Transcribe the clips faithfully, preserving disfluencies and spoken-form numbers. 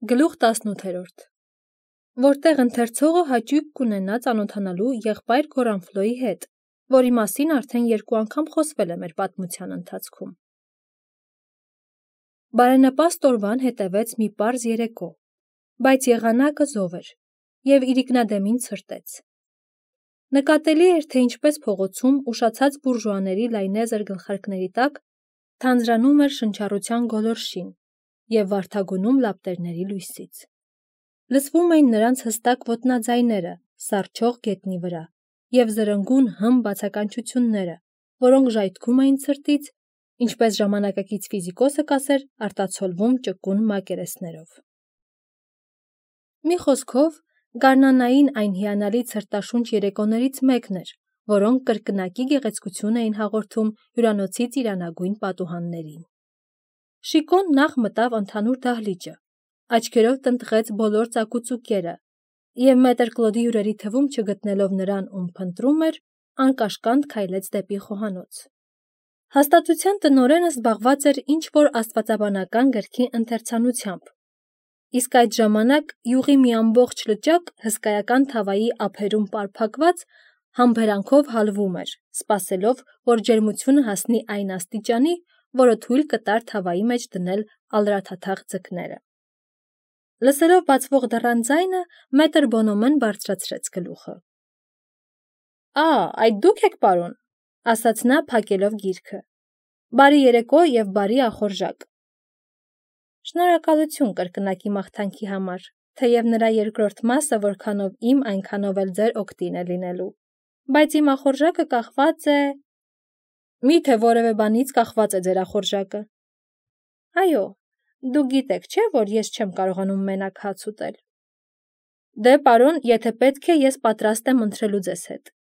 Գլուխ տասնութերորդ Որտեղ ընթերցողը հաճույք կունենա ծանոթանալու եղբայր Գորանֆլոյի հետ, որի մասին արդեն երկու անգամ խոսվել է մեր պատմության ընթացքում։ Բարենպաստ օրվան հետևեց մի պարզ երեկո, բայց եղանակը զով էր, և իրիկնադեմին ցրտեց։ Նկատելի էր, թե ինչպես փողոցում ուշացած բուրժուաների լայնեզր գլխարկների տակ թանձրանում էր շնչառության գոլորշին և վարդագոնում լապտերների լույսից։ Լսվում էին նրանց հստակ ոտնաձայները սառչող գետնի վրա և զրնգուն հմ բացականչությունները, որոնք ժայթքում էին ցրտից, ինչպես ժամանակակից ֆիզիկոսը կասեր, արտացոլվում ճկուն մակերեսներով։ Մի խոսքով, գարնանային այն հիանալի ցրտաշունչ երեկոներից մեկն էր, որոնք կրկնակի գեղեցկություն էին հաղորդում հյուրանոցի ծիրանագույն պատուհաններին։ Շիկոն նախ մտավ ընդհանուր դահլիճը, աչքերով տնտղեց բոլոր ծակուծուկերը և մետր Կլոդի հյուրերի թվում չգտնելով նրան, ում փնտրում էր, անկաշկանդ քայլեց դեպի խոհանոց։ Հաստատության տնօրենը զբաղված էր ինչ-որ աստվածաբանական գրքի ընթերցանությամբ, իսկ այդ ժամանակ յուղի մի ամբողջ լճակ հսկայական թավայի ափերում պարփակված համբերանքով հալվում էր, սպասելով, որ ջերմությունը հասնի այն աստիճանի, որը թույլ կտար թավայի մեջ դնել ալրաթաթախ ձկները։ Լսելով բացվող դռան ձայնը, մետր Բոնոմեն բարձրացրեց գլուխը։ «Ա, այդ դուք եք, պարոն», ասաց նա, փակելով գիրքը։ «Բարի երեկո և բարի ախորժակ»։ Շնորհակալություն կրկնակի մաղթանքի համար, թեև նրա երկրորդ մասը որքանով իմ, այնքանով էլ ձեր օգտին է լինելու, բայց իմ ախորժակը կախված է… Մի՞թե որևէ բանից կախված է ձեր ախորժակը։ Այո, դուք գիտեք, չէ՞, որ ես չեմ կարողանում մենակ հաց ուտել։ Դե, պարոն, եթե պետք է, ես պատրաստ եմ ընթրելու ձեզ հետ,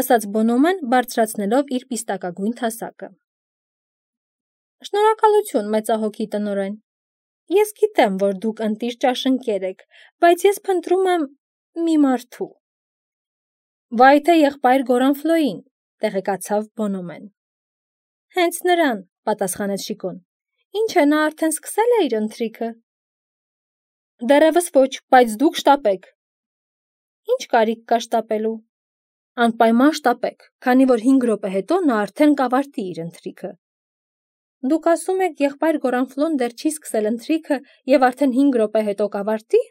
ասաց Բոնոմեն, բարձրացնելով իր պիստակագույն թասակը։ Շնորհակալություն, մեծահոգի տնօրեն։ Ես գիտեմ, որ դուք ընտիր ճաշընկեր եք, բայց ես փնտրում եմ մի մարդու։ Վայ թե եղբայր Գորանֆլոյին, տեղեկացավ Բոնոմեն։ Հենց նրան, պատասխանեց Շիկոն։ Ինչ է, նա արդեն սկսել է իր ընթրիքը։ Դեռևս ոչ, բայց դուք շտապեք։ Ինչ կարիք կա շտապելու։ Անպայման շտապեք, քանի որ հինգ րոպե հետո նա արդեն կավարտի իր ընթրիքը։ Դուք ասում եք, եղբայր Գորանֆլոն դեռ չի սկսել ընթրիքը և արդեն հինգ րոպե հետո կավարտի։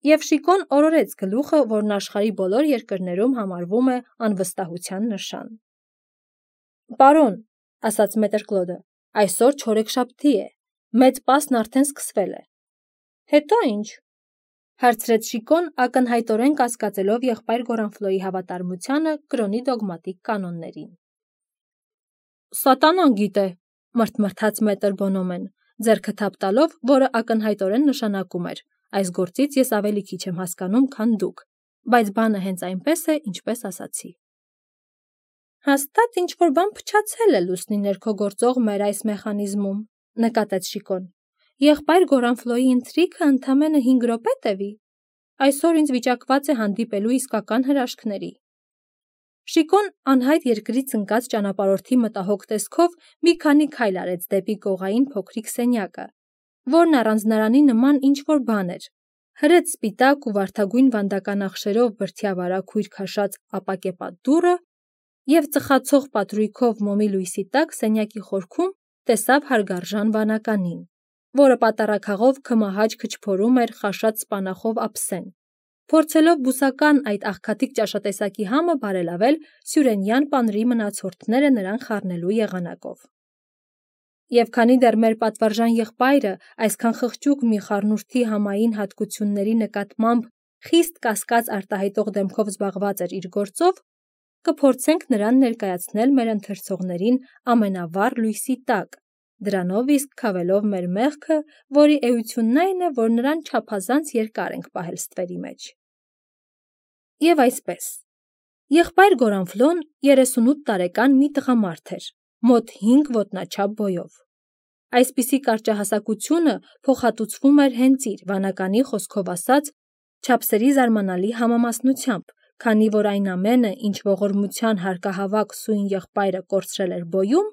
Եվ Շիկոն օրորեց գլուխը, որն աշխարհի բոլոր երկրներում համարվում է անվստահության նշան։ Պարոն, ասաց մետր Կլոդը, այսօր չորեքշաբթի է, մեծ պասն արդեն սկսվել է։ Հետո ինչ, հարցրեց Շիկոն, ակնհայտորեն կասկածելով եղբայր Գորանֆլոյի հավատարմությանը կրոնի դոգմատիկ կանոններին։ Սատանան գիտե, մրթմրթաց մետր Բոնոմեն, ձեռքը թափ տալով, որը ակնհայտորեն նշանակում էր. այս գործից ես ավելի քիչ եմ հասկանում, քան դուք, բայց բանը հենց այնպես է, ինչպես ասացի։ Հաստատ ինչ-որ բան փչացել է լուսնի ներքո գործող մեր այս մեխանիզմում, նկատեց Շիկոն։ Եղբայր Գորանֆլոյի ընթրիքը ընդամենը հինգ րոպե տևի։ Այսօր ինձ վիճակված է հանդիպելու իսկական հրաշքների։ Շիկոն անհայտ երկրից ընկած ճանապարհորդի մտահոգ տեսքով մի քանի քայլ արեց դեպի կողային փոքրիկ սենյակը, որն առանձնարանի նման ինչ-որ բան էր, հրեց սպիտակ ու վարդագույն վանդական ախշերով բրդյավարակ հույր քաշած ապակեպատ դուռը և ծխացող պատրույգով մոմի լույսի տակ սենյակի խորքում տեսավ հարգարժան վանականին, որը պատառաքաղով քմահաճ քչփորում էր խաշած սպանախով ափսեն, փորձելով բուսական այդ աղքատիկ ճաշատեսակի համը բարելավել սյուրենյան պանրի մնացորդները նրան խառնելու եղանակով։ Եվ քանի դեռ մեր պատվարժան եղբայրը այսքան խղճուկ մի խառնուրդի համային հատկությունների նկատմամբ խիստ կասկած արտահայտող դեմքով զբաղված էր իր գործով, կփորձենք նրան ներկայացնել մեր ընթերցողներին ամենավառ լույսի տակ, դրանով իսկ քավելով մեր մեղքը, որի էությունն այն է, որ նրան չափազանց երկար ենք պահել ստվերի մեջ։ Եվ այսպես, եղբայր Գորանֆլոն երեսունութ տարեկան մի տղամարդ էր, մոտ հինգ ոտնաչափ բոյով։ Այսպիսի կարճահասակությունը փոխհատուցվում էր հենց իր, վանականի խոսքով ասած, չափսերի զարմանալի համամասնությամբ, քանի որ այն ամենը, ինչ ողորմության հարկահավաք սույն եղբայրը կորցրել էր բոյում,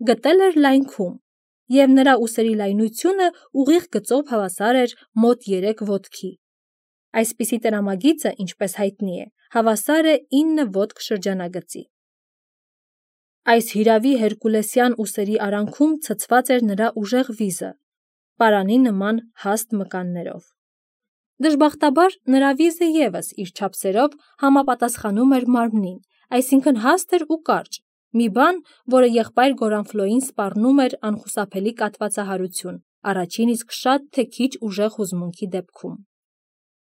գտել էր լայնքում և նրա ուսերի լայնությունը ուղիղ գծով հավասար էր մոտ երեք ոտքի։ Այսպիսի տրամագիծը, ինչպես հայտնի է, հավասար է ինը ոտք շրջանագծի։ Այս հիրավի հերկուլեսյան ուսերի արանքում ցցված էր նրա ուժեղ վիզը, պարանի նման հաստ մկաններով։ Դժբախտաբար նրա վիզը ևս իր չափսերով համապատասխանում էր մարմնին, այսինքն հաստ էր ու կարճ, մի բան, որը եղբայր Գորանֆլոյին սպառնում էր անխուսափելի կաթվածահարություն, առաջին իսկ շատ թե քիչ ուժեղ հուզմունքի դեպքում։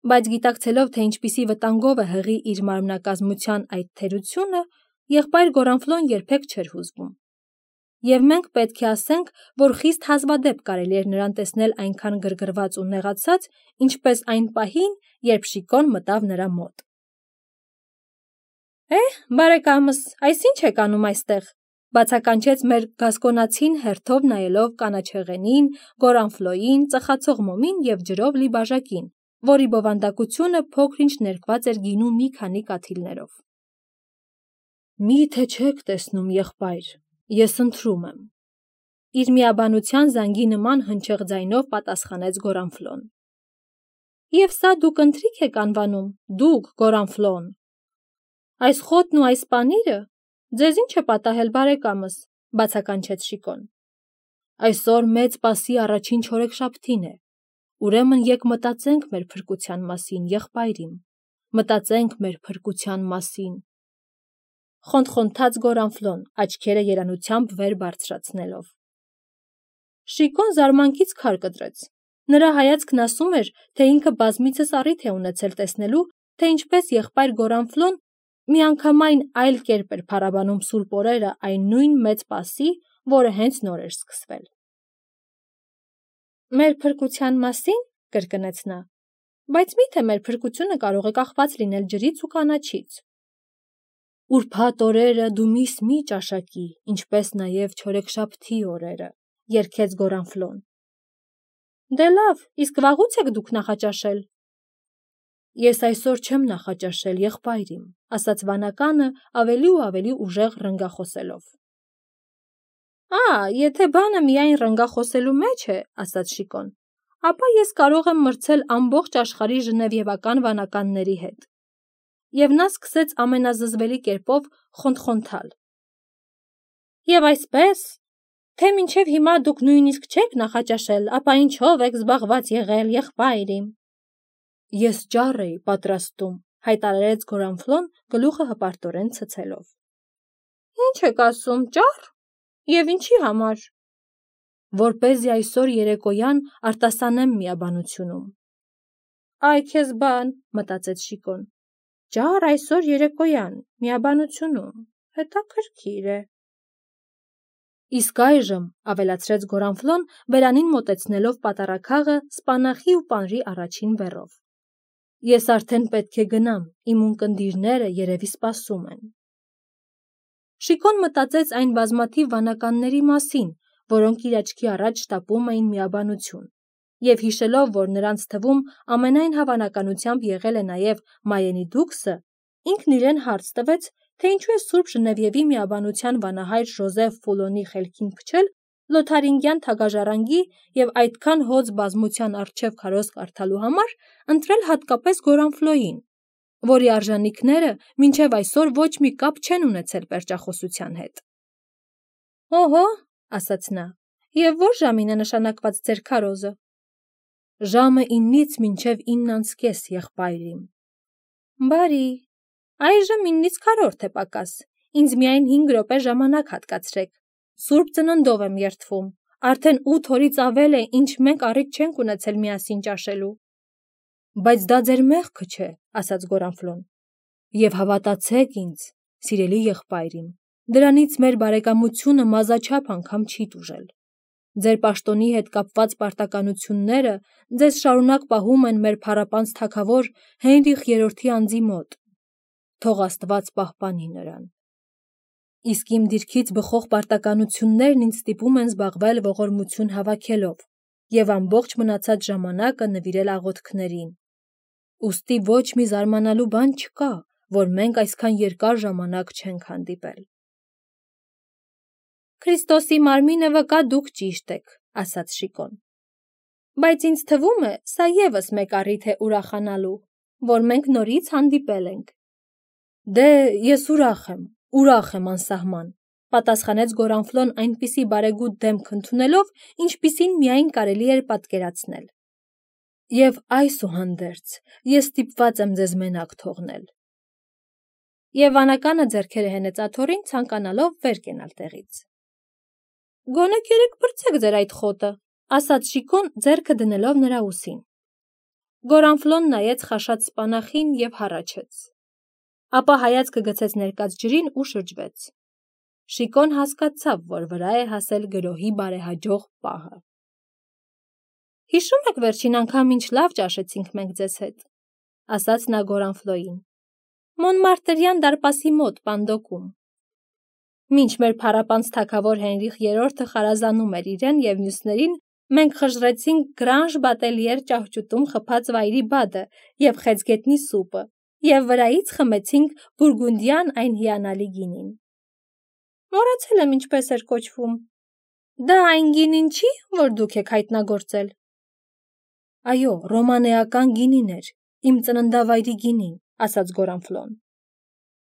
Բայց գիտակցելով, թե ինչպիսի վտանգով է հղի իր մարմնակազմության այդ թերությունը, եղբայր Գորանֆլոն երբեք չէր հուզվում։ Եվ մենք պետք է ասենք, որ խիստ հազվադեպ կարելի էր նրան տեսնել այնքան գրգռված ու նեղացած, ինչպես այն պահին, երբ Շիկոն մտավ նրա մոտ։ «Է, բարեկամս, այս ի՞նչ եք անում այստեղ», բացականչեց մեր գասկոնացին հերթով նայելով կանաչեղենին, Գորանֆլոյին, ծխացող մոմին և ջրով լի բաժակին, որի բովանդակությունը փոքր-ինչ ներկված էր գինու մի քանի կաթիլներով։ «Մի՞թե չեք տեսնում, եղբայր, ես ընթրում եմ», իր միաբանության զանգի նման հնչեղ ձայնով պատասխանեց Գորանֆլոն։ «Եվ սա դուք ընթրիք եք անվանում, դուք, Գորանֆլոն։ Այս խոտն ու այս պանիրը, ձեզ ի՞նչ է պատահել, բարեկամս», բացականչեց Շիկոն։ «Այսօր Մեծ Պասի առաջին չորեքշաբթին է, ուրեմն եկ մտածենք մեր փրկության մասին, եղբայր իմ, մտածենք մեր փրկության մասին», խոնթխոնթաց Գորանֆլոն, աչքերը երանությամբ վեր բարձրացնելով։ Շիկոն զարմանքից քար կտրեց։ Նրա հայացքն ասում էր, թե ինքը բազմիցս առիթ է ունեցել տեսնելու, թե ինչպես եղբայր Գորանֆլոն միանգամայն այլ կերպ էր փառաբանում սուրբ օրերը այն նույն Մեծ Պասի, որը հենց նոր էր սկսվել։ «Մեր փրկության մասին», կրկնեց նա, «բայց մի՞թե մեր փրկությունը կարող է կախված լինել ջրից ու կանաչից»։ «Ուրբաթ օրերը դու միս մի ճաշակի, ինչպես նաև չորեքշաբթի օրերը», երգեց Գորանֆլոն։ «Դե լավ, իսկ վաղուց եք դուք նախաճաշել»։ «Ես այսօր չեմ նախաճաշել, եղբայր իմ», ասաց վանականը ավելի ու ավելի ուժեղ ռնգախոսելով։ «Ա, եթե բանը միայն ռնգախոսելու մեջ է», ասաց Շիկոն, «ապա ես կարող եմ մրցել ամբողջ աշխարհի ժնևիևական վանականների հետ»։ Եվ նա սկսեց ամենազզվելի կերպով խոնթխոնթալ։ «Եվ այսպես, թե մինչև հիմա դուք նույնիսկ չեք նախաճաշել, ապա ինչով եք զբաղված եղել, եղբայր իմ»։ «Ես ճառ էի պատրաստում», հայտարարեց Գորանֆլոն գլուխը հպարտորեն ցցելով։ «Ի՞նչ եք ասում, ճա՞ռ, և ինչի համար»։ «Որպեսզի այսօր երեկոյան արտասանեմ միաբանությունում»։ «Այ քեզ բան», մտածեց Շիկոն, «ճառ այսօր երեկոյան, միաբանությունում, հետաքրքիր է»։ «Իսկ այժմ», ավելացրեց Գորանֆլոն, բերանին մոտեցնելով պատառաքաղը սպանախի ու պանրի առաջին բեռով, «ես արդեն պետք է գնամ, իմ ունկնդիրները երևի սպասում են»։ Շիկոն մտածեց այն բազմաթիվ վանականների մասին, որոնք իր աչքի առաջ շտապում էին միաբանություն, և հիշելով, որ նրանց թվում ամենայն հավանականությամբ եղել է նաև Մայենի դուքսը, ինքն իրեն հարց տվեց, թե ինչու է սուրբ Ժնևիևի միաբանության վանահայր Ժոզեֆ Ֆուլոնի խելքին փչել Լոթարինգյան թագաժառանգի և այդքան հոծ բազմության առջև քարոզ կարդալու համար ընտրել հատկապես Գորանֆլոյին, որի արժանիքները մինչև այսօր ոչ մի կապ չեն ունեցել պերճախոսության հետ։ «Օհո», ասաց նա, «և ո՞ր ժամին է նշանակված ձեր քարոզը»։ «Ժամը իննից մինչև ինն անց կես, եղբայր իմ»։ «Բարի, այժմ իննից քառորդ է պակաս, ինձ միայն հինգ րոպե ժամանակ հատկացրեք, Սուրբ Ծննդով եմ երդվում, արդեն ութ օրից ավել է, ինչ մենք առիթ չենք ունեցել միասին ճաշելու»։ «Բայց դա ձեր մեղքը չէ», ասաց Գորանֆլոն, «և հավատացեք ինձ, սիրելի եղբայր իմ, դրանից մեր բարեկամությունը մազաչափ անգամ չի տուժել։ Ձեր պաշտոնի հետ կապված պարտականությունները ձեզ շարունակ պահում են մեր փառապանծ թագավոր Հենրիխ երրորդի անձի մոտ։ Թող Աստված պահպանի նրան։ Իսկ իմ դիրքից բխող պարտականություններն ինձ ստիպում են զբաղվել ողորմություն հավաքելով և ամբողջ մնացած ժամանակը նվիրել աղոթքներին։ Ուստի ոչ մի զարմանալու բան չկա, որ մենք այսքան երկար ժամանակ չենք հանդիպել»։ Քրիստոսի մարմինը վկա դուք ճիշտ եք, ասաց Շիկոն։ Բայց ինձ թվում է, սա ևս մեկ առիթ է ուրախանալու, որ մենք նորից հանդիպել ենք։ Դե, ես ուրախ եմ, ուրախ եմ անսահման, պատասխանեց Գորանֆլոն այնպիսի բարեգութ դեմք ընդունելով, ինչպիսին միայն կարելի էր պատկերացնել։ Եվ այսուհանդերձ, ես ստիպված եմ ձեզ մենակ թողնել։ Եվ վանականը ձեռքերը հենեց աթոռին, ցանկանալով վեր կենալ տեղից։ Գոնե կերեք բրցեք ձեր այդ խոտը, ասաց Շիկոն, ձեռքը դնելով նրա ուսին։ Գորանֆլոն նայեց խաշած սպանախին և հառաչեց։ Ապա հայացքը գցեց ներկած ջրին ու շրջվեց։ Շիկոն հասկացավ, որ վրա է հասել գրոհի բարեհաջող պահը։ Հիշում եք վերջին անգամ ինչ լավ ճաշեցինք մենք ձեզ հետ, ասաց նա Գորանֆլոյին։ Մոնմարտրյան դարպասի մոտ Պանդոկում։ Մինչ մեր փառապանծ թագավոր Հենրիխ երրորդը խարազանում էր իրեն և մյուսներին, մենք խժռեցինք Գրանժ Բատելիեր ճահճուտում խփած վայրի բադը և խեցգետնի սուպը, և վրայից խմեցինք բուրգունդյան այն հիանալի գինին։ Մոռացել եմ ինչպես էր կոչվում։ Դա այն գինին չի, որ դուք եք հայտնագործել։ Այո, ռոմանեական գինին էր, իմ ծննդավայրի գինին, ասաց Գորանֆլոն։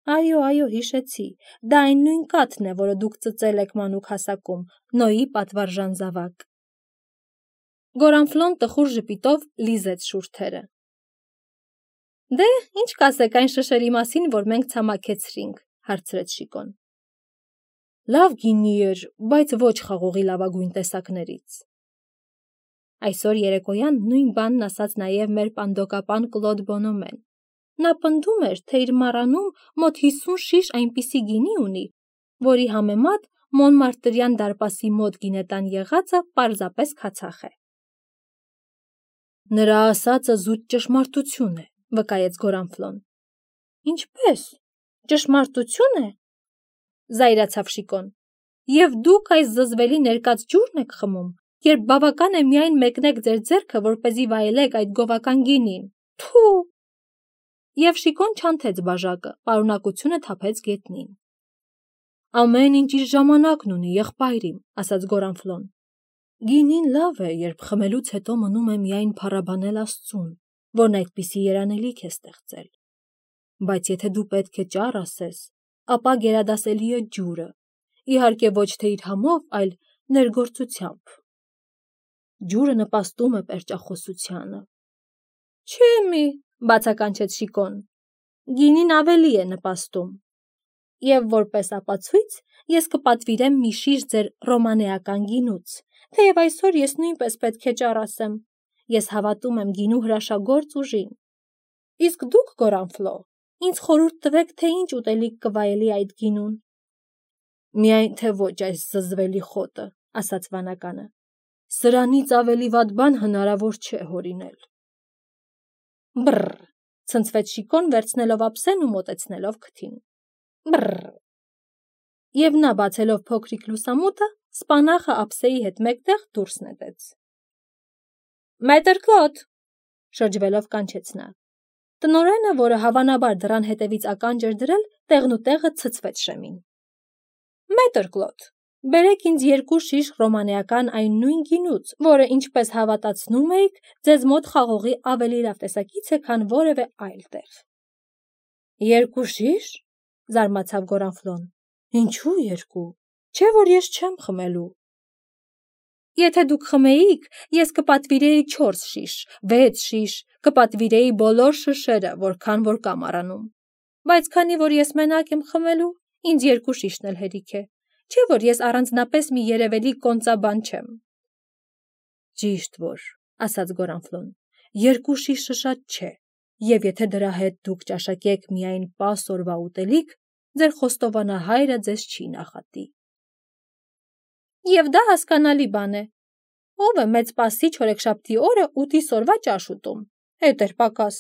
Այո, այո, հիշեցի, դա այն նույն կաթն է, որը դուք ծծել եք մանուկ հասակում, Նոյի պատվարժան զավակ։ Գորանֆլոն տխուր ժպիտով լիզեց շուրթերը։ Դե, ինչ կասեք այն շշերի մասին, որ մենք ցամաքեցրինք, հարցրեց Շիկոն։ Լավ գինի էր, բայց ոչ խաղողի լավագույն տեսակներից։ Այսօր երեկոյան նույն բանն ասաց նաև մեր պանդոկապան Կլոդ Բոնոմեն։ Նա պնդում էր, թե իր մառանում մոտ հիսուն շիշ այնպիսի գինի ունի, որի համեմատ Մոնմարտրյան դարպասի մոտ գինետան եղածը պարզապես քացախ է։ Նրա ասածը զուտ ճշմարտություն է, վկայեց Գորանֆլոն։ Ինչպես, ճշմարտություն է, զայրացավ Շիկոն, և դուք այս զզվելի ներկած ջուրն եք խմում, երբ բավական է միայն մեկնեք ձեր ձեռքը, որպեսզի վայելեք այդ գովական գինին, թու… Եվ Շիկոն չանթեց բաժակը, պարունակությունը թափեց գետնին։ Ամեն ինչ իր ժամանակն ունի, եղբայրիմ, ասաց Գորանֆլոն։ Գինին լավ է, երբ խմելուց հետո մնում է միայն փառաբանել Աստծուն, որն այդպիսի երանելիք է ստեղծել։ Բայց եթե դու պետք է ճառ ասես, ապա գերադասելի է ջուրը, իհարկե ոչ թե իր համով, այլ ներգործությամբ։ Ջուրը նպաստում է պերճախոսությանը։ Չէ՞ մի, բացականչեց Շիկոն, գինին ավելի է նպաստում։ Եվ որպես ապացույց ես կպատվիրեմ մի շիշ ձեր ռոմանեական գինուց, թեև այսօր ես նույնպես պետք է ճառ ասեմ։ Ես հավատում եմ գինու հրաշագործ ուժին։ Իսկ դուք, Գորանֆլո, ինձ խորհուրդ տվեք, թե ինչ ուտելիք կվայելի այդ գինուն։ Միայն թե ոչ այս զզվելի խոտը, ասաց վանականը։ Սրանից ավելի վատ բան հնարավոր չէ հորինել։ Բռ, ցնցվեց Շիկոն, վերցնելով ափսեն ու մոտեցնելով քթին։ Բռ։ Եվ նա բացելով փոքրիկ լուսամուտը, սպանախը ափսեի հետ մեկտեղ դուրս նետեց։ Մետր Կլոդ, շրջվելով կանչեց նա։ Տնօրենը, որը հավանաբար դռան հետևից ականջ էր դրել, տեղնուտեղը ցցվեց շեմին։ Մետր Կլոդ, բերեք ինձ երկու շիշ ռոմանեական այն նույն գինուց, որը, ինչպես հավատացնում էիք, ձեզ մոտ խաղողի ավելի լավ տեսակից է, քան որևէ այլ տեղ։ Երկու շիշ, զարմացավ Գորանֆլոն։ Ինչու երկու, չէ՞ որ ես չեմ խմելու։ Եթե դուք խմեիք, ես կպատվիրեի չորս շիշ, վեց շիշ, կպատվիրեի բոլոր շշերը, որքան որ կա մառանում։ Բայց քանի որ ես մենակ եմ խմելու, ինձ երկու շիշն էլ հերիք է, չէ՞ որ ես առանձնապես մի երևելի կոնծաբան չեմ։ Ճիշտ որ, ասաց Գորանֆլոն, երկու շիշը շատ չէ, և եթե դրա հետ դուք ճաշակեք միայն պաս օրվա ուտելիք, ձեր խոստովանահայրը ձեզ չի նախատի։ Եվ դա հասկանալի բան է։ Ով է մեծ պասի չորեքշաբթի օրը ութիս օրվա ճաշ ուտում, հետ էր պակաս։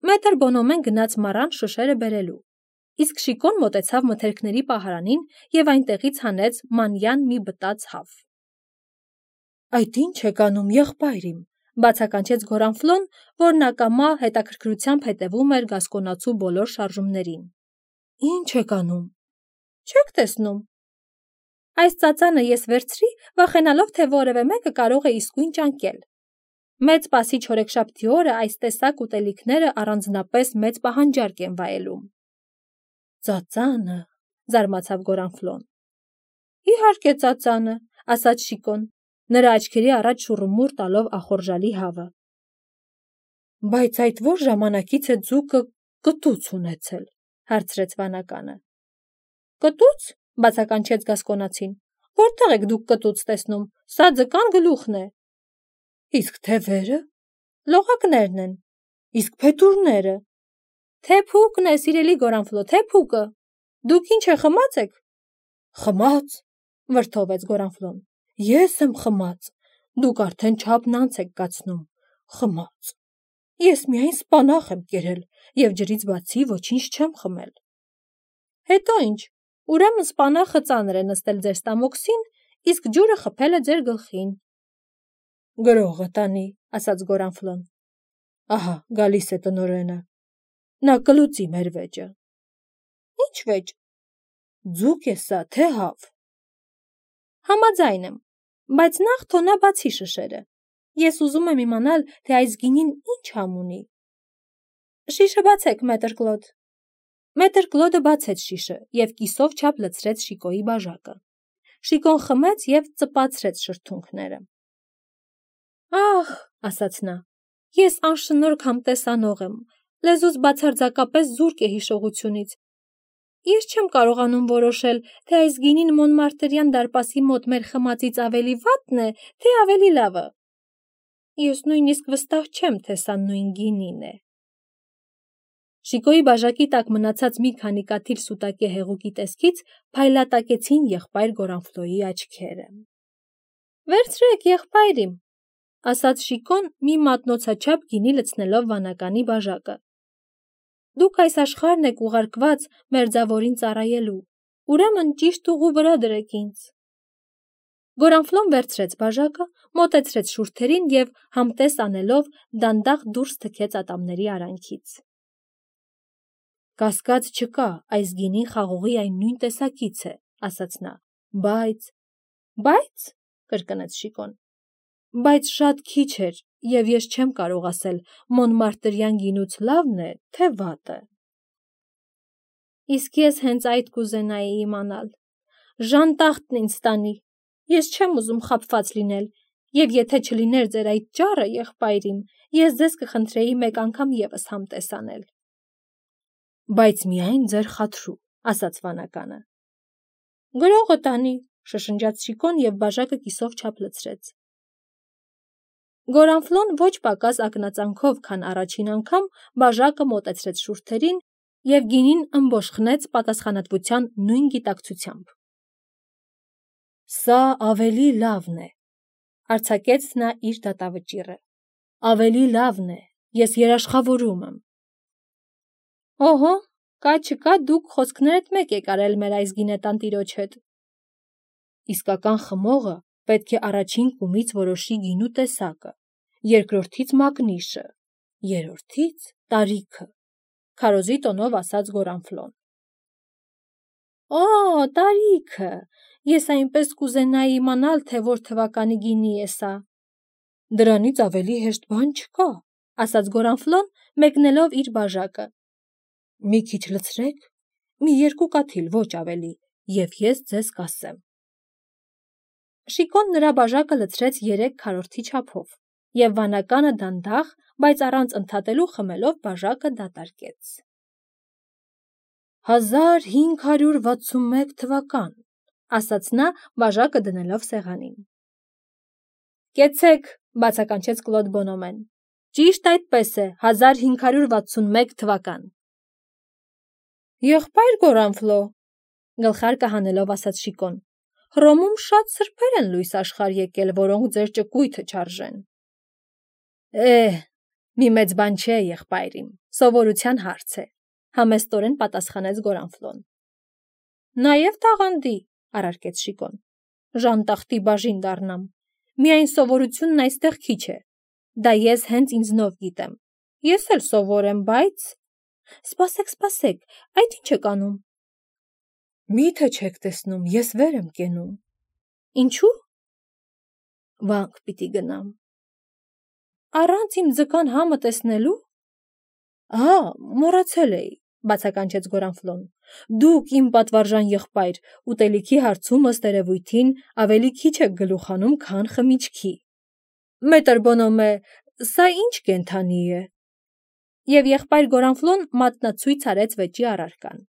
Մետր Բոնոմեն գնաց մառան շշերը բերելու, իսկ Շիկոն մոտեցավ մթերքների պահարանին և այնտեղից հանեց մանյան մի բտած հավ։ Այդ ինչ եք անում, եղբայրիմ, բացականչեց Գորանֆլոն, որն ակամա հետաքրքրությամբ հետևում էր գասկոնացու բոլոր շարժումներին։ Ինչ եք անում։ Չեք տեսնում։ Այս ծածանը ես վերցրի, վախենալով, թե որևէ մեկը կարող է իսկույն ճանկել։ Մեծ Պասիչ օրեքշաբթի օրը այս տեսակ ուտելիքները առանձնապես մեծ պահանջարկ են վայելում։ Ծածանը, զարմացավ Գորանֆլոն։ Իհարկե ծածանը, ասաց Շիկոն, նրա աչքերի առաջ շուռումուռ տալով ախորժալի հավը։ Բայց այդ որ ժամանակից է ձուկը կտուց ունեցել, հարցրեց վանականը։ Կտուց, բացականչեց Գասկոնացին, որտեղ եք դուք կտուց տեսնում, սա ձկան գլուխն է։ Իսկ թևերը, լողակներն են, իսկ փետուրները։ Թե փուկն է, սիրելի Գորանֆլո, թե փուկը։ Դուք ինչ է խմած եք։ Խմած, վրդովեց Գորանֆլոն։ Ես եմ խմած։ Դուք արդեն չափն անց եք կացնում։ Խմած։ Ես միայն սպանախ եմ կերել եւ ջրից բացի ոչինչ չեմ խմել։ Հետո ինչ։ Ուրեմն սպանախը ծանր է նստել ձեր ստամոքսին, իսկ ջուրը խփել է ձեր գլխին։ Գրողը տանի, ասաց Գորանֆլոն։ Ահա, գալիս է տնօրենը։ Նա կլուծի մեր վեճը։ Ինչ վեճ։ Ձուկ է սա, թե հավ։ Համաձայն եմ, բայց նախ թո նա բացի շշերը։ Ես ուզում եմ իմանալ, թե այս գինին ինչ համ ունի։ Շիշը բացեք, մետր Կլոդ։ Մետր Կլոդը բացեց շիշը եւ կիսով չափ լցրեց Շիկոյի բաժակը։ Շիկոն խմեց եւ ծպացրեց շրթունքները։ Ահ, ասաց նա, ես անշնորհք համտեսանող եմ, լեզուս բացարձակապես զուրկ է հիշողությունից։ Ես չեմ կարողանում որոշել, թե այս գինին Մոնմարտրյան դարպասի մոտ մեր խմածից ավելի վատն է, թե ավելի լավը։ Ես նույնիսկ վստահ չեմ, թե սա նույն գինին է։ Շիկոյի բաժակի տակ մնացած մի քանի կաթիլ սուտակե հեղուկի տեսքից փայլատակեցին եղբայր Գորանֆլոյի աչքերը։ Վերցրեք, եղբայր իմ, ասաց Շիկոն մի մատնոցաչափ գինի լցնելով վանականի բաժակը։ Դուք այս աշխարհն եք ուղարկված մերձավորին ծառայելու, ուրեմն ճիշտ ուղու վրա դրեք ինձ։ Գորանֆլոն վերցրեց բաժակը, մոտեցրեց շուրթերին եւ համտես անելով դանդաղ դուրս թքեց ատամների արանքից։ Կասկած չկա, այս գինին խաղողի այն նույն տեսակից է, ասաց նա, բայց… Բայց, կրկնեց Շիկոն, բայց շատ քիչ էր, եւ ես չեմ կարող ասել Մոնմարտրյան գինուց լավն է, թե վատը։ Իսկ ես հենց այդ կուզենայի իմանալ։ Ժանտախտն ինձ տանի։ Ես չեմ ուզում խաբված լինել, եւ եթե չլիներ ձեր այդ ճառը, եղբայր իմ, ես ձեզ կխնդրեի մեկ անգամ եւս համտես անել։ Բայց միայն ձեր խաթրու, ասաց վանականը։ Գրողը տանի, շշնջաց Շիկոն եւ բաժակը կիսով չափ լցրեց։ Գորանֆլոն ոչ պակաս ակնածանքով, քան առաջին անգամ բաժակը մոտեցրեց շուրթերին եւ գինին ըմբոշխնեց պատասխանատվության նույն գիտակցությամբ։ Սա ավելի լավն է, արձակեց նա իր դատավճիռը։ Ավելի լավն է, ես երաշխավորում եմ։ Օհո, կա չկա դուք խոսքներդ մեկ եք արել մեր այս գինետան տիրոջ հետ։ Իսկական խմողը պետք է առաջին կումից որոշի գինու տեսակը, երկրորդից մակնիշը, երրորդից տարիքը, քարոզի տոնով ասաց Գորանֆլոն։ Օ, տարիքը, ես այնպես կուզենայի իմանալ, թե որ թվականի գինի է սա։ Դրանից ավելի հեշտ բան չկա, ասաց Գորանֆլոն, մեկնելով իր բաժակը։ Մի քիչ լցրեք, մի երկու կաթիլ, ոչ ավելի, եւ ես ձեզ կասեմ։ Շիկոն նրա բաժակը լցրեց երեք քառորդի չափով, եւ վանականը դանդաղ, բայց առանց ընդհատելու խմելով բաժակը դատարկեց։ Հազար հինգ հարյուր վաթսունմեկ թվական, ասաց նա բաժակը դնելով սեղանին։ Կեցեք, բացականչեց Կլոդ Բոնոմեն։ Ճիշտ այդպես է, հազար հինգ հարյուր վաթսունմեկ թվական։ Եղբայր Գորանֆլո, գլխարկը հանելով ասաց Շիկոն, Հռոմում շատ սրբեր են լույս աշխարհ եկել, որոնք ձեր ճկույթը չարժեն։ Էհ, մի մեծ բան չէ, եղբայր իմ, սովորության հարց է, համեստորեն պատասխանեց Գորանֆլոն։ Նաեւ տաղանդի, առարկեց Շիկոն, ժանտախտի բաժին դառնամ, միայն սովորությունն այստեղ քիչ է, դա ես հենց ինձնով գիտեմ, ես էլ սովոր եմ, բայց… Սպասեք, սպասեք, այդ ինչ եք անում։ Միթե չեք տեսնում, ես վեր եմ կենում, Ինչու՞։ Վանք պիտի գնամ։ Առանց իմ ձկան համը տեսնելու։ Ահա, մոռացել էի, բացականչեց Գորանֆլոն։ Դուք իմ պատվարժան եղբայր, ուտելիքի հարցում ըստ երևույթին ավելի քիչ եք գլուխ հանում, քան խմիչքի։ Մետր Բոնոմե, սա ի՞նչ կենդանի է։ Եվ եղբայր Գորանֆլոն մատնացույց արեց վեճի առարկան։